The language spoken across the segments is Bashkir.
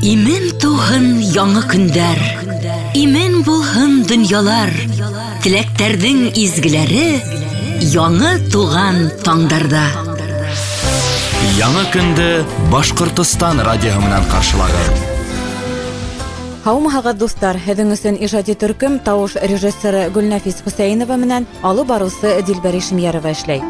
Имен тыуһын яңы көндәр, имен булһын донъялар, теләктәрҙең изгеләре яңы туған таңдарҙа. Яңы көндө Башҡортостан радиоһы менән ҡаршылағыҙ. Һаумыһығыҙ, дуҫтар! Һеҙҙең өсөн ижади төркөм тауыш режиссеры Гөлнәфис Хөсәйенова менән алып барыусы Дилбәр Ишемйәрова эшләй.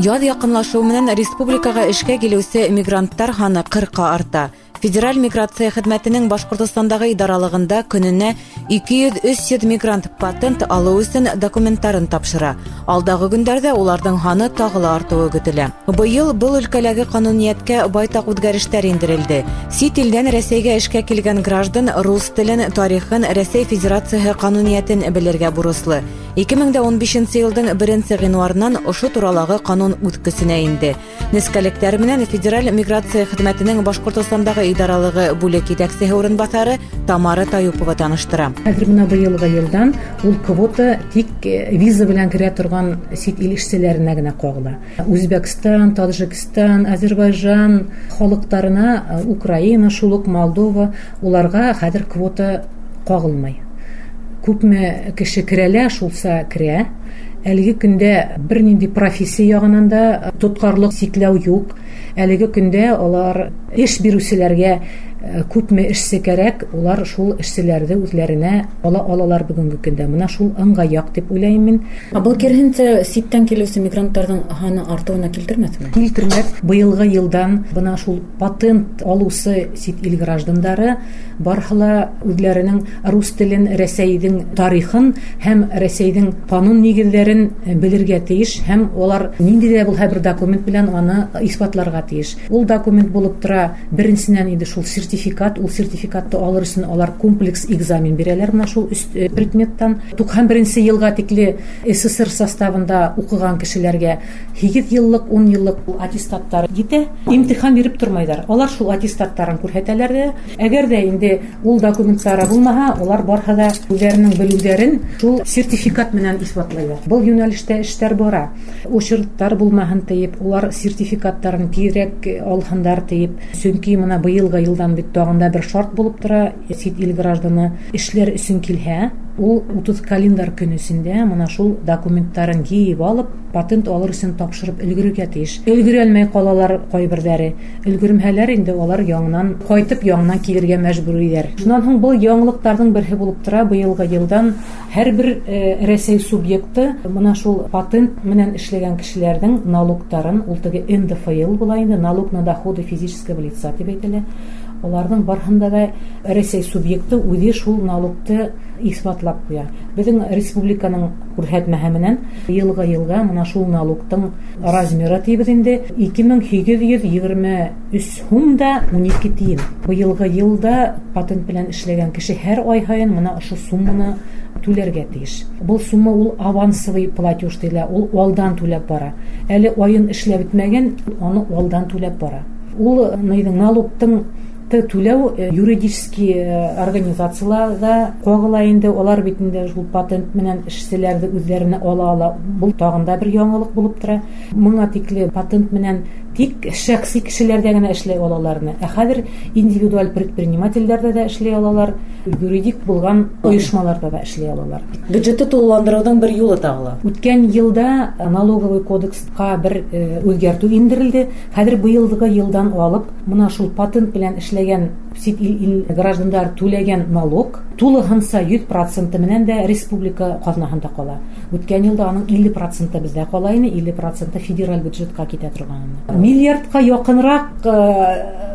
Яҙ яҡынлашыу менән республикаға эшкә килеүсе мигранттар һаны 40-ҡа арта. Федераль миграция хеҙмәтенең Башҡортостандағы идаралығында көнөнә 200-300 мигрант патент алыу өсөн документтарын тапшыра. Алдағы көндәрҙә уларҙың һаны тағы ла артыуы көтөлә. Быйыл был өлкәләге ҡануниәткә байтаҡ үҙгәрештәр индерелде. Сит илдән Рәсәйгә эшкә килгән граждан рус телен, тарихын, Рәсәй Федерацияһы ҡануниәтен белергә бурыслы. 2015 йылдың 1 ғинуарынан ошо туралағы ҡанун үҙ көсөнә инде. Нескәлектәр менән Федераль миграция хеҙмәтенең Башҡортостандағы идаралығы бүлек етәксеһе урынбаҫары Тамара Таюпова таныштыра. Хәҙер бына быйылғы йылдан ул квота тик виза белән керә торған сит ил эшселәренә генә ҡағыла. Үзбәкстан, Таджикстан, Азербайжан халыҡтарына, Украина, шул уҡ Молдова, уларға хәҙер квота ҡағылмай. Күпме кеше керәлә, шулса керә. Әлеге көндә бер нинди профессия яғынан да тотҡарлыҡ, сикләү юҡ. Әлеге көндә алар эш биреүселәргә күпме эшсе кәрәк, улар шул эшселәрҙе үҙләренә ала алалар бөгөнгө көндә. Бына шул ыңғай яҡ тип уйлайым мин. Ә был киреһенсә ситтән килеүсе мигранттарҙың һаны артыуына килтермәҫме? Килтермәҫ. Быйылғы йылдан бына шул патент алыусы сит ил граждандары барыһы ла үҙләренең рус телен, Рәсәйҙең тарихын һәм Рәсәйҙең ҡанун нигеҙҙәрен белергә тейеш, һәм улар ниндәй ҙә булһа бер документ белән аны иҫбатларға тейеш. Ул документ булып тора беренсенән инде шул сертификат, ул сертификатты алыр өсөн алар комплекс экзамен бирәләр менә шул өс предметтан. 91 йылға тикле СССР составында уҡыған кешеләргә 8 йыллыҡ, 10 йыллыҡ аттестаттар етә. Имтихан биреп тормайҙар. Алар шул аттестаттарын күрһәтәләр ҙә. Әгәр ҙә инде ул документтары булмаһа, улар барыһы ла үҙҙәренең белеүҙәрен шул сертификат менән иҫбатлайҙар. Был йүнәлештә эштәр бара. Очерттар булмаһын тиеп, улар сертификаттарын тиҙерәк алһындар тиеп. Сөнки бына быйылғы йылдан бит тағын да бер шарт булып тора, сит ил гражданы эшләр өсөн килһә, ул 30 календар көн эсендә мына шул документтарын йыйып алып, патент алыр өсөн тапшырып өлгөрөргә тейеш. Өлгөрә алмай ҡалалар ҡайберҙәре. Өлгөрмәһәләр инде улар яңынан ҡайтып, яңынан килергә мәжбүр. Шунан һуң был яңылыҡтарҙың береһе булып тора. Быйылғы йылдан һәр бер Рәсәй субъекты мына шул патент менән эшләгән кешеләрҙең налогтарын, ул теге НДФЛ була инде, налог на доходы физического лица тип әйтелә. Уларҙың барыһында да Рәсәй субъекты үҙе шул налогты иҫбатлап ҡуя. Беҙҙең республиканың күрһәтмәһе менән йылға йылға мына шул налогтың размеры тибеҙ инде 2823 һум да 12 тиен. Быйылғы йылда патент белән эшләгән кеше һәр ай һайын мына ошо сумманы түләргә тейеш. Был сумма ул авансовый платеж тиелә, ул алдан түләп бара. Әле айын эшләп бөтмәгән, аны алдан түләп бара. Ул налогтың түләү юридический организацияларҙа ҡағыла инде, улар бит инде шул патент менән эшселәрҙе үҙҙәренә ала ала. Был тағын да бер яңылыҡ булып тора. Моңа тикле патент менән тик шәхси кешеләрҙә генә эшләй алаларны. Ә хәҙер индивидуаль предпринимательдәрҙә дә эшләй алалар, юридик булған ойошмаларҙа да эшләй алалар. Бюджетты тулыландырыуҙың бер юлы тағы ла. Үткән йылда налоговый кодексҡа бер үҙгәртеү индерелде. Хәҙер быйылғы йылдан алып, мына шул патент белән эшләгән сит ил граждандар түләгән налог тулыһынса 100% менән дә республика ҡаҙнаһында ҡала. Үткән йылда аның 50% беҙҙә ҡала ине, 50% федераль бюджетҡа китә торған ине. Миллиардҡа яҡынраҡ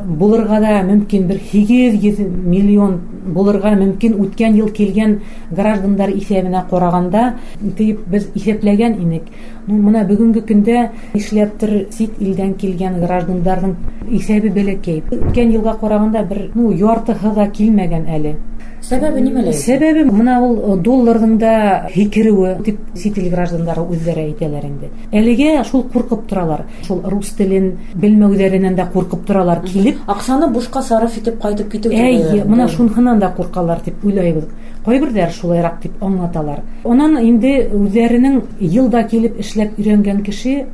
булырға да мөмкин, бер 800 миллион булырға мөмкин үткән йыл килгән граждандар иҫәбенә ҡарағанда тип беҙ иҫәпләгән инек. Мына бөгөнгө көндә нишләптер сит илдән килгән граждандарҙың иҫәбе бәләкәй. Үткән йылға ҡарағанда бер, яртыһы ла килмәгән әле. Сәбәбе нимәлә? Сәбәбе мына ул долларҙың да һикереүе тип сит ил граждандары үҙҙәре әйтәләр инде. Әлегә шул ҡурҡып торалар. Шул рус телен белмәүҙәренән дә ҡурҡып торалар килеп. Аҡсаны бушҡа сарыф итеп ҡайтып китеү Әй, тип мына уйлайым. шунһынан да ҡурҡалар тип уйлайбыҙ. Ҡайберҙәр шулайыраҡ тип аңлаталар. Унан инде үҙҙәренең йылда килеп эшләп өйрәнгән кеше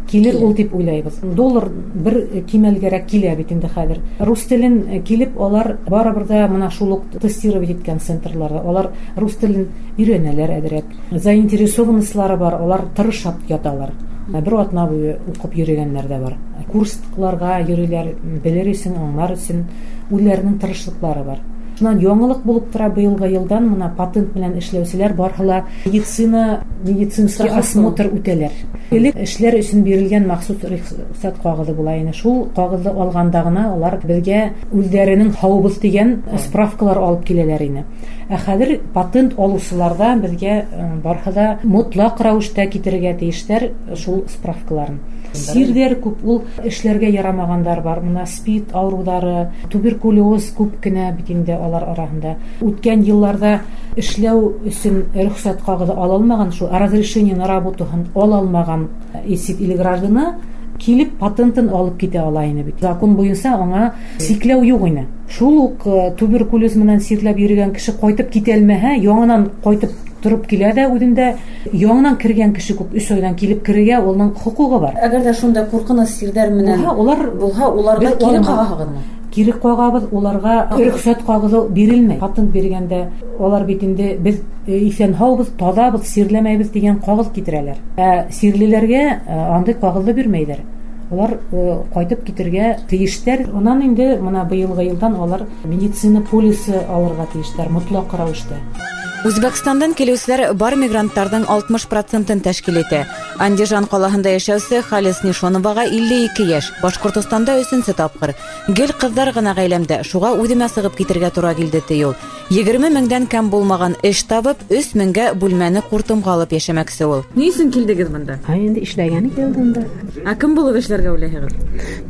Килер ул дип уйлайбыҙ. Доллар бер кимәлгәрәк килә бит инде хәҙер. Рус телен килеп алар барыбер ҙа мына шул уҡ тестировать иткән центрларҙа алар рус телен өйрәнәләр әҙерәк. Заинтересованностьлары бар, алар тырышап яталар. Бер атна буйы уҡып йөрөгәндәр ҙә бар. Курсларға йөрөйләр, белер өсөн, аңлар өсөн үҙҙәренең тырышлыҡлары бар. Шунан яңылыҡ булып тора быйылғы йылдан мына патент менән эшләүселәр барыһы ла медицинский осмотр үтәләр. Элек эшләр өсөн бирелгән махсус рөхсәт ҡағыҙы була ине. Шул ҡағыҙҙы алғанда ғына алар беҙгә үҙҙәренең һаубыҙ тигән справкалар алып киләләр ине. Ә хәҙер патент алыусыларҙа беҙгә барыһы ла мотлаҡ рәүештә китерергә тейештәр шул справкаларын. Сирҙәр күп, ул эшләргә ярамағандар бар. Мына СПИД ауырыуҙары, туберкулез күп кенә бит инде алар араһында. Үткән йылларҙа эшләү өсөн рөхсәт ҡағыҙы ала алмаған, шул разрешение на работу ала алмаған сит ил гражданы килеп патентын алып китә ала ине бит. Закон буйынса аңа сикләү юҡ ине. Шул уҡ туберкулез менән сирләп йөрөгән кеше ҡайтып китә алмаһа, яңынан ҡайтып тороп килә ҙә үҙендә яңынан кергән кеше күп 3 айҙан килеп керергә уның хоҡуғы бар. Әгәр ҙә шундай ҡурҡыныс сирҙәр менән улар булһа, уларға кире ҡағаһығыҙмы? Кире ҡағабыҙ, уларға рөхсәт ҡағыҙы бирелмәй. Патент биргәндә улар бит инде беҙ иҫән һаубыҙ, таҙабыҙ, сирләмәйбеҙ тигән ҡағыҙ китерәләр. Ә сирлеләргә андай ҡағыҙҙы бирмәйҙәр. Улар ҡайтып китергә тейештәр. Унан инде мына быйылғы йылдан улар медицина полисы алырға тейештәр мотлаҡ рәүештә. Үзбәкстандан килеүселәр бар мигранттарҙың 60%-ын тәшкил итә. Андижан ҡалаһында йәшәүсе Халис Нишоноваға 52 йәш, Башҡортостанда 3-нсе тапҡыр. Гел ҡыҙҙар ғына ғаиләмдә, шуға үҙемә сығып китергә тура килде, ти ул. 20 меңдән кәм булмаған эш табып, 3 меңгә бүлмәне ҡуртымға алып йәшәмәксе ул. Ни өсөн килдегеҙ бында? Инде эшләгәне килдем дә. Ә кем булып эшләргә уйлайһығыҙ?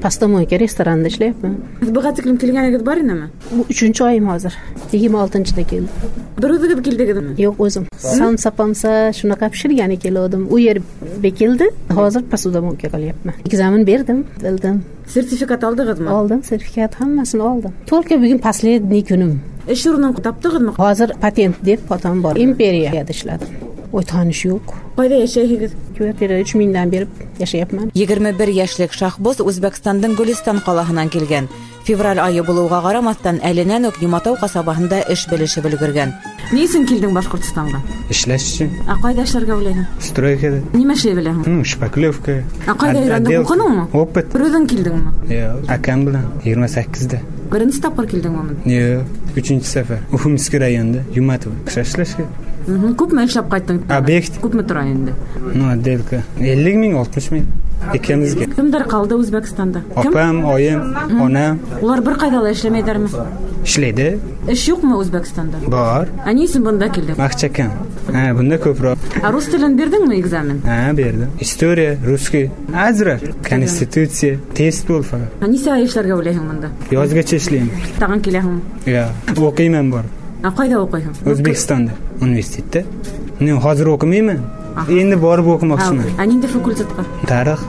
Посудомойка ресторанда эшләймен. Быға тиклем килгәнегеҙ бар инеме? 3-нсе айым хәҙер. 26-нчыда килдем. Бер үҙегеҙ килдегеҙме? Yo'q, o'zim. Somsa pomsa shunaqa pishirgani kelgandim. U yer bekildi. Hozir посудомойка qilyapman. Экзамен berdim, bildim. Sertifikat oldingizmi? Oldim, sertifikat hammasini oldim. Только bugun последний kunim. Ish o'rnini topdingizmi? Hozir patent deb otam bor. Imperiyada ishladim. Oy tanish yo'q. Qayda yashaysiz? Kvartira 3000 dan berib yashayapman. 21 йәшлек Шахбоз Үзбәкстандың Гөлистан ҡалаһынан килгән. Февраль айы булыуға ҡарамаҫтан, әленән үк Йоматау ҡасабаһында эш белешеп өлгөргән. Ни өсөн килдең Башҡортостанға? Эшләш өсөн. Ә ҡайҙа эшләргә уйлайһың? Стройкада. Нимә эшләй беләһең? Шпаклевка. Ә ҡайҙа өйрәндең? Уҡыныңмы? Опыт. Бер үҙең килдеңме? Yo'q, akam bilan 28-da. Беренсе тапҡыр килдеңме монда? Yo'q, 3-нче сәфәр. Уфимский районда, Юматово. Эшләшкә. Күпме эшләп ҡайттың? Объект. Күпме тора инде? Ну, отделка. 50 миң, 60 миң. Ikimizga. Кемдәр ҡалды Үзбәкстанда? Opam, oyim, onam. Улар бер ҡайҙа ла эшләмәйҙәрме? Ishlaydi. Эш юҡмы Үзбәкстанда? Bor. Ә ни өсөн бында килдең? Vaqt kam. Ha, bunda ko'proq. Ә rus tilini berdingmi экзамен? Ha, berdim. История, русский, azroq, konstitutsiya, test bo'ldi faqat. Ә нисә ай эшләргә уйлайһың монда? Yozgacha ishlayman. Тағын киләһеңме? Yo'q, o'qiyman borib. Ә ҡайҙа уҡыйһың? O'zbekistonda, universitetda. Men hozir o'qimayman. Endi borib o'qimoqchiman. Ә ниндәй факультетҡа? Tarix.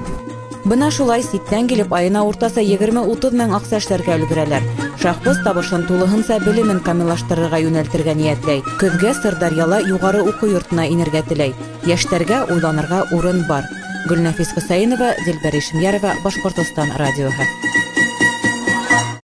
Бына шулай ситтән килеп айына уртаса 20-30 мең аҡса эшләргә өлгөрәләр. Шахбоз табышын тулыһынса белемен камиллаштырырға йүнәлтергә ниәтләй. Көҙгә Сырдарьяла юғары уҡыу йортона инергә теләй. Йәштәргә уйланырға урын бар. Гөлнәфис Хөсәйенова, Дилбәр Ишемйәрова, Башҡортостан радиоһы.